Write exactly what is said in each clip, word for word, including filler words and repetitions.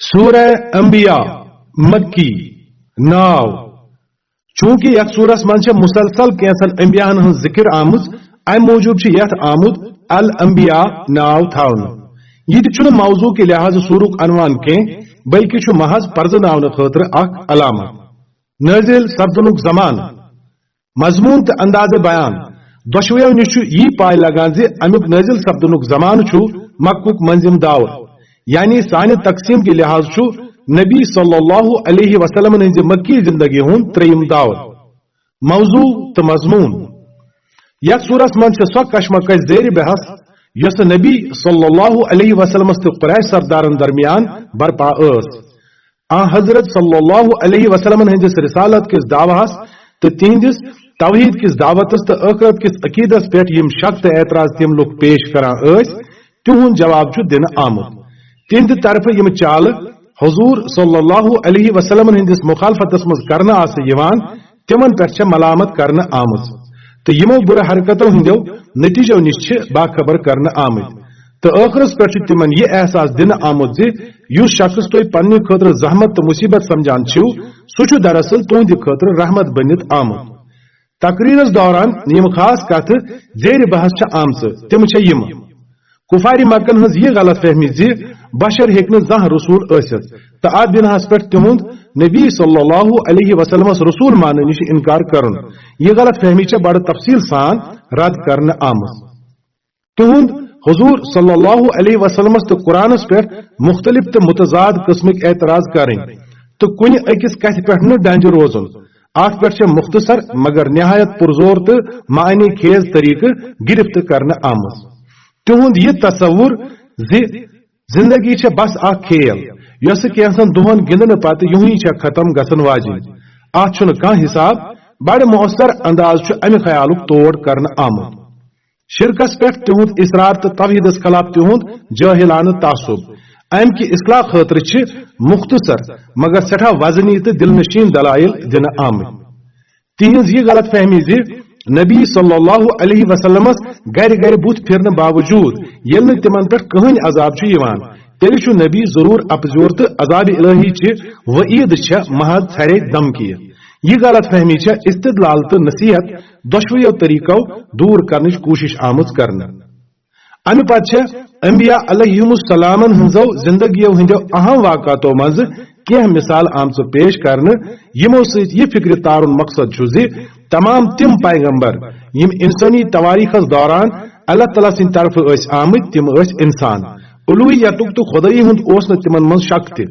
سورہ انبیاء، مکی ناو۔ چونکہ یتھ سورس منٛز چھےٚ مسلسل کینٛژن انبیاہن ہٕنٛز ذکر آمٕژ، امہِ موٗجوٗب چھُ یتھ آمُت الانبیاء ناو تھاونہٕ۔ یہِ تہِ چھُنہٕ موضوع کہِ لحاظہٕ سورُک عنوان کینٛہہ، بلکہِ چھُ محض پرزٕناونہٕ خٲطرٕ اکھ علامت۔ نٲزِل سپدنُک زمانہٕ۔ مضمون تہٕ انداز بیان دۄشوٕیو نِش چھُ یی پاے لگان زِ امیُک نٲزِل سپدنُک زمانہٕ چھُ مکُک مٔنٛزِم دور، یعنی سانہِ تقسیٖم کہِ لحاظ چھُ نبی صلی اللہ علیہ وسلمن ہٕنٛزِ مکی زندگی ہُنٛد ترٛیٚیِم دور۔ موضوع تہٕ مضمون۔ یتھ سورس منٛز چھِ سۄ کشمکش زیر بحث یۄسہٕ نبی صلی اللہ علیہ وسلمس تہٕ قریش سردارن درمیان برپا ٲس۔ آن حضرت صلی اللہ علیہ وسلمن ہٕنٛدِس رسالت کِس دعوہس تہٕ تِہنٛدِس توحید کِس دعوتس تہٕ ٲخرت کِس عقیدس پٮ۪ٹھ یِم شک تہٕ اعتراض تِم لُکھ پیش کران ٲسۍ، تِہُنٛد جواب چھُ دِنہٕ آمُت۔ تِہنٛدِ طرفہٕ یِم چالہٕ حضور صلی اللہ علیہ وسلمن ہٕنٛدِس مخالفتس منٛز کرنہٕ آسہٕ یِوان، تِمن پٮ۪ٹھ چھےٚ ملامت کرنہٕ آمٕژ تہٕ یِمو بُرٕ حرکتو ہٕنٛدیو نتیجو نِش چھِ باخبر کرنہٕ آمٕتۍ۔ تہٕ ٲخرس پٮ۪ٹھ چھُ تِمن یہِ احساس دِنہٕ آمُت زِ یُس شخص تُہۍ پننہِ خٲطرٕ زحمت تہٕ مصیبت سمجھان چھِو، سُہ چھُ دراصل تُہنٛدِ خٲطرٕ رحمت بٔنِتھ آمُت۔ تقریرس دوران یِم خاص کتھٕ زیر بحث چھِ آمژٕ، تِم چھےٚ یِم۔ کفارِ مکن ہٕنٛز یہِ غلط فہمی زِ بشر ہیٚکہِ نہٕ زانٛہہ رسول ٲسِتھ تہٕ اتھ بناہس پٮ۪ٹھ تِہُنٛد نبی صلی اللہ علیہ وسلمس رسول ماننہٕ نِش انکار کرُن۔ یہِ غلط فہمی چھےٚ بڑٕ تفصیل سان رد کرنہٕ آمٕژ۔ تِہُنٛد حضور صلی اللہ علیہ وسلمس تہٕ قرآنس پٮ۪ٹھ مختلف تہٕ متضاد قسمٕکۍ اعتراض کرٕنۍ تہٕ کُنہِ أکِس کتھِ پٮ۪ٹھ نہٕ ڈنجہِ روزُن۔ اتھ پٮ۪ٹھ چھےٚ مختصر مگر نہایت پرزور تہٕ معنی خیز طریقہٕ گرفت کرنہٕ آمٕژ۔ تِہُنٛد یہِ تصور زِ زندگی چھےٚ بس اکھ کھیل، یۄسہٕ کینٛژن دۄہن گِنٛدنہٕ پتہٕ یُہُے چھےٚ ختم گژھن واجِنۍ، اتھ چھُنہٕ کانٛہہ حساب، بڑٕ مؤثر انداز چھُ امہِ خیالُک تور کرنہٕ آمُت۔ شرکس پٮ۪ٹھ تِہُنٛد اصرار تہٕ توحیدس خلاف تِہُنٛد جٲہلانہٕ تعصب، امہِ کہِ اصلاح خٲطرٕ چھِ مختصر مگر سٮ۪ٹھاہ وزنی تہٕ دلنشین دلائل دِنہٕ آمٕتۍ۔ تِہنٛز یہِ غلط فہمی زِ نبی صلی اللہ علیہ وسلمس گرِ گرِ بُتھ پھِرنہٕ باوجود ییٚلہِ نہٕ تِمن پٮ۪ٹھ کٕہٕنۍ عذاب چھُ یِوان، تیٚلہِ چھُ نبی ضروٗر اپزیور تہٕ عذاب الہی چہِ وعید چھےٚ محض ژھرے دھمکی۔ یہِ غلط فہمی چھےٚ استدلال تہٕ نصیحت دۄشوٕیو طریقو دوٗر کرنٕچ کوٗشش آمٕژ کرنہٕ۔ امہِ پتہٕ چھےٚ انبیاء علیہم السلامن ہٕنٛزو زندگیو ہٕنٛدیو اہم واقعاتو منٛزٕ کینٛہہ مثال آمژٕ پیش کرنہٕ، یِمو سۭتۍ یہِ فکرِ تارُن مقصد چھُ زِ تمام تِم پیغمبر یِم انسٲنی تواریخس دوران اللہ تعالیٰ سٕنٛدِ طرفہٕ ٲسۍ آمٕتۍ، تِم ٲسۍ انسان۔ الوہیتُک تہٕ خدٲیی ہُنٛد اوس نہٕ تِمن منٛز شک تہِ۔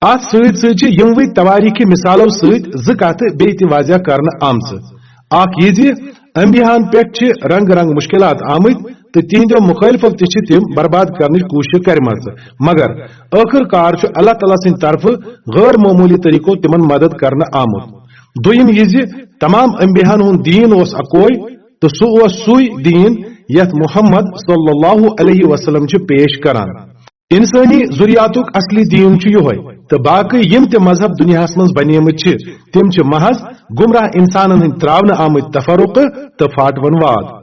اتھ سۭتۍ سۭتۍ چھِ یِموٕے تواریخی مثالو سۭتۍ زٕ کتھٕ بیٚیہِ تہِ واضح کرنہٕ آمژٕ۔ اکھ یہِ زِ انبیاہن پٮ۪ٹھ چھِ رنگ رنگ مشکلات آمٕتۍ تہٕ تِہنٛدیو مخٲلفو تہِ چھِ تِم برباد کرنٕچ کوٗشش کرِمژٕ، مگر ٲخٕر کار چھُ اللہ تعالیٰ سٕنٛدِ طرفہٕ غٲر معموٗلی طریقو تِمن مدد کرنہٕ آمُت۔ دوٚیِم یہِ زِ تمام انبیاہن ہُنٛد دیٖن اوس اکوے تہٕ سُہ اوس سُے دیٖن یتھ محمد صلی اللہ علیہ وسلم چھُ پیش کران۔ انسٲنی ذُریاتُک اصلی دیٖن چھُ یِہوٚے، تہٕ باقٕے یِم تہِ مذہب دُنیاہَس منٛز بنیمٕتۍ چھِ، تِم چھِ محض گمراہ انسانن ہٕنٛدۍ ترٛاونہٕ آمٕتۍ تفرقہٕ تہٕ پھاٹوَن واد۔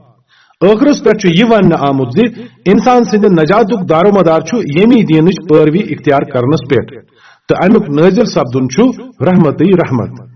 ٲخرس پٮ۪ٹھ چھُ یہِ وننہٕ آمُت زِ انسان سٕنٛدِ نجاتُک دارومدار چھُ ییٚمی دیٖنٕچ پٲروی اختیار کرنس پٮ۪ٹھ، تہٕ امیُک نٲزِل سپدُن چھُ رحمتٕے رحمت۔